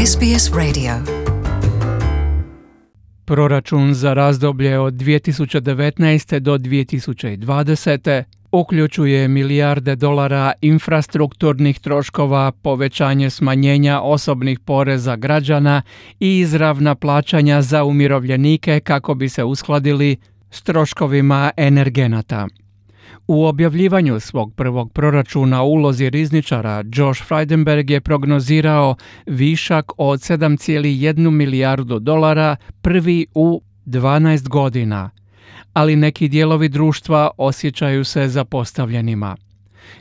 SBS Radio. Proračun za razdoblje od 2019. do 2020. uključuje milijarde dolara infrastrukturnih troškova, povećanje smanjenja osobnih poreza građana i izravna plaćanja za umirovljenike kako bi se uskladili s troškovima energenata. U objavljivanju svog prvog proračuna u ulozi rizničara, Josh Frydenberg je prognozirao višak od 7,1 milijardu dolara, prvi u 12 godina, ali neki dijelovi društva osjećaju se zapostavljenima.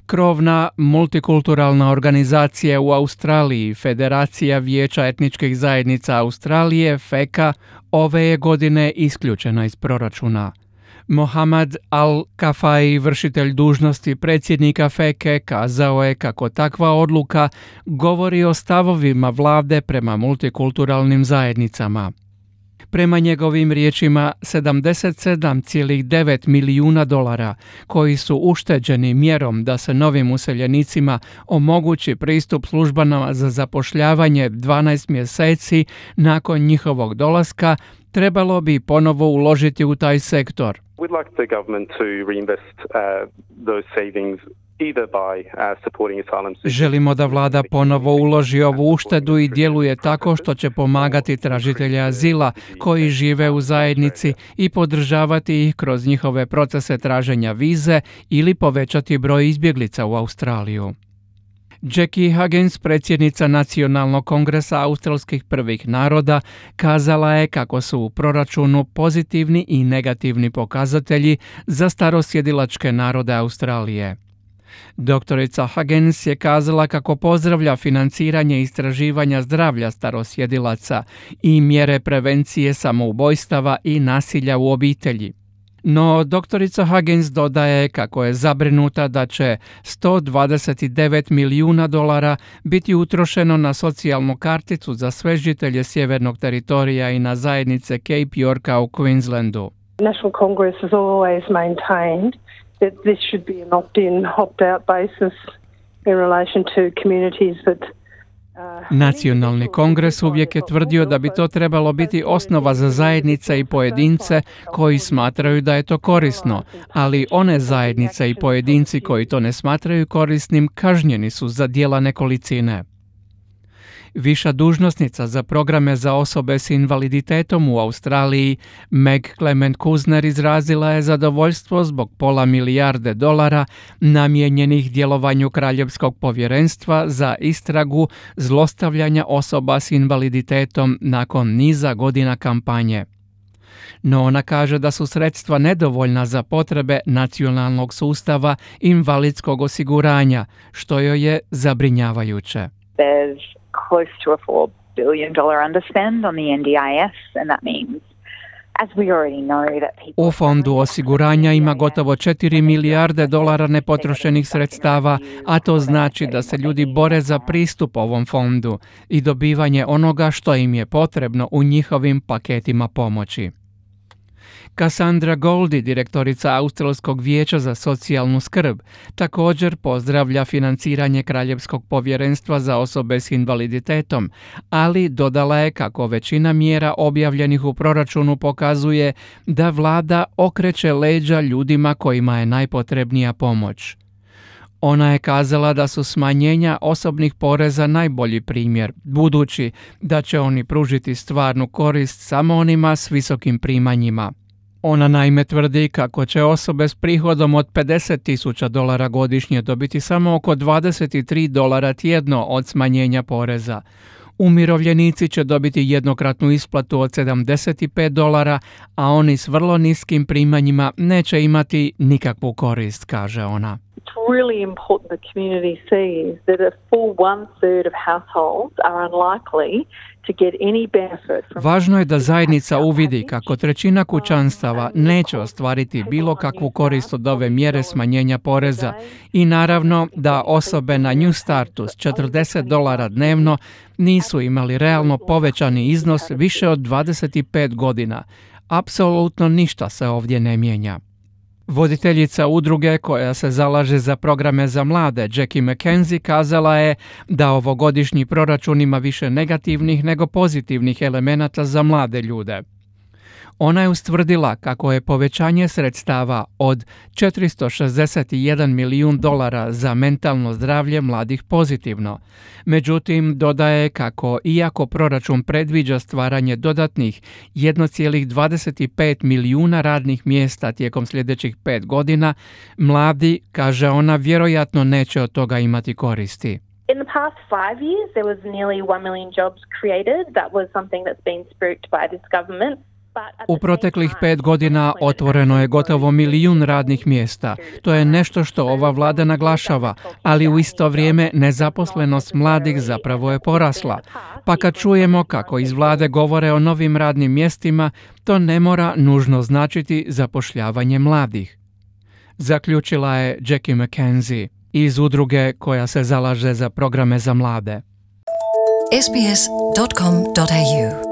Krovna multikulturalna organizacija u Australiji, Federacija vijeća etničkih zajednica Australije, FECA, ove je godine isključena iz proračuna. Mohamed Al-Kafai, vršitelj dužnosti predsjednika FECE, kazao je kako takva odluka govori o stavovima vlade prema multikulturalnim zajednicama. Prema njegovim riječima, 77,9 milijuna dolara koji su ušteđeni mjerom da se novim useljenicima omogući pristup službama za zapošljavanje 12 mjeseci nakon njihovog dolaska, trebalo bi ponovo uložiti u taj sektor. We'd like the government to reinvest those savings either by supporting asylum seekers. Želimo da vlada ponovo uloži ovu uštedu i djeluje tako što će pomagati tražitelje azila koji žive u zajednici i podržavati ih kroz njihove procese traženja vize ili povećati broj izbjeglica u Australiju. Jackie Huggins, predsjednica Nacionalnog kongresa australskih prvih naroda, kazala je kako su u proračunu pozitivni i negativni pokazatelji za starosjedilačke narode Australije. Doktorica Huggins je kazala kako pozdravlja financiranje istraživanja zdravlja starosjedilaca i mjere prevencije samoubojstava i nasilja u obitelji. No, doktorica Huggins dodaje kako je zabrinuta da će 129 milijuna dolara biti utrošeno na socijalnu karticu za sve žitelje sjevernog teritorija i na zajednice Cape Yorka u Queenslandu. National Congress has always maintained that this should be an opt-in, opt-out basis in relation to communities that Nacionalni kongres uvijek je tvrdio da bi to trebalo biti osnova za zajednice i pojedince koji smatraju da je to korisno, ali one zajednice i pojedinci koji to ne smatraju korisnim kažnjeni su za djela nekolicine. Viša dužnosnica za programe za osobe s invaliditetom u Australiji, Meg Clement Kuzner, izrazila je zadovoljstvo zbog $500 milijarde namijenjenih djelovanju Kraljevskog povjerenstva za istragu zlostavljanja osoba s invaliditetom nakon niza godina kampanje. No ona kaže da su sredstva nedovoljna za potrebe nacionalnog sustava invalidskog osiguranja, što joj je zabrinjavajuće. Close to a $4 billion underspend on the NDIS, and that means, as we already know, that people... U fondu osiguranja ima gotovo $4 milijarde nepotrošenih sredstava, a to znači da se ljudi bore za pristup ovom fondu i dobivanje onoga što im je potrebno u njihovim paketima pomoći. Cassandra Goldie, direktorica Australskog vijeća za socijalnu skrb, također pozdravlja financiranje Kraljevskog povjerenstva za osobe s invaliditetom, ali dodala je kako većina mjera objavljenih u proračunu pokazuje da vlada okreće leđa ljudima kojima je najpotrebnija pomoć. Ona je kazala da su smanjenja osobnih poreza najbolji primjer, budući da će oni pružiti stvarnu korist samo onima s visokim primanjima. Ona naime tvrdi kako će osobe s prihodom od $50,000 godišnje dobiti samo oko $23 tjedno od smanjenja poreza. Umirovljenici će dobiti jednokratnu isplatu od $75, a oni s vrlo niskim primanjima neće imati nikakvu korist, kaže ona. It's really important the community sees that a full 1/3 of households are unlikely to get any benefit from... Važno je da zajednica uvidi kako trećina kućanstava neće ostvariti bilo kakvu korist od ove mjere smanjenja poreza i naravno da osobe na New Startu s $40 dnevno nisu imali realno povećani iznos više od 25 godina. Apsolutno ništa se ovdje ne mijenja. Voditeljica udruge koja se zalaže za programe za mlade, Jackie McKenzie, kazala je da ovogodišnji proračun ima više negativnih nego pozitivnih elemenata za mlade ljude. Ona je ustvrdila kako je povećanje sredstava od $461 milijun za mentalno zdravlje mladih pozitivno. Međutim, dodaje kako iako proračun predviđa stvaranje dodatnih 1,25 milijuna radnih mjesta tijekom sljedećih 5 godina, mladi, kaže ona, vjerojatno neće od toga imati koristi. In the past 5 years, there was nearly 1 million jobs created. That was something that's been spooked by this government. U proteklih 5 godina otvoreno je gotovo 1 milijun radnih mjesta. To je nešto što ova vlada naglašava, ali u isto vrijeme nezaposlenost mladih zapravo je porasla. Pa kad čujemo kako iz vlade govore o novim radnim mjestima, to ne mora nužno značiti zapošljavanje mladih. Zaključila je Jackie McKenzie iz udruge koja se zalaže za programe za mlade. sbs.com.au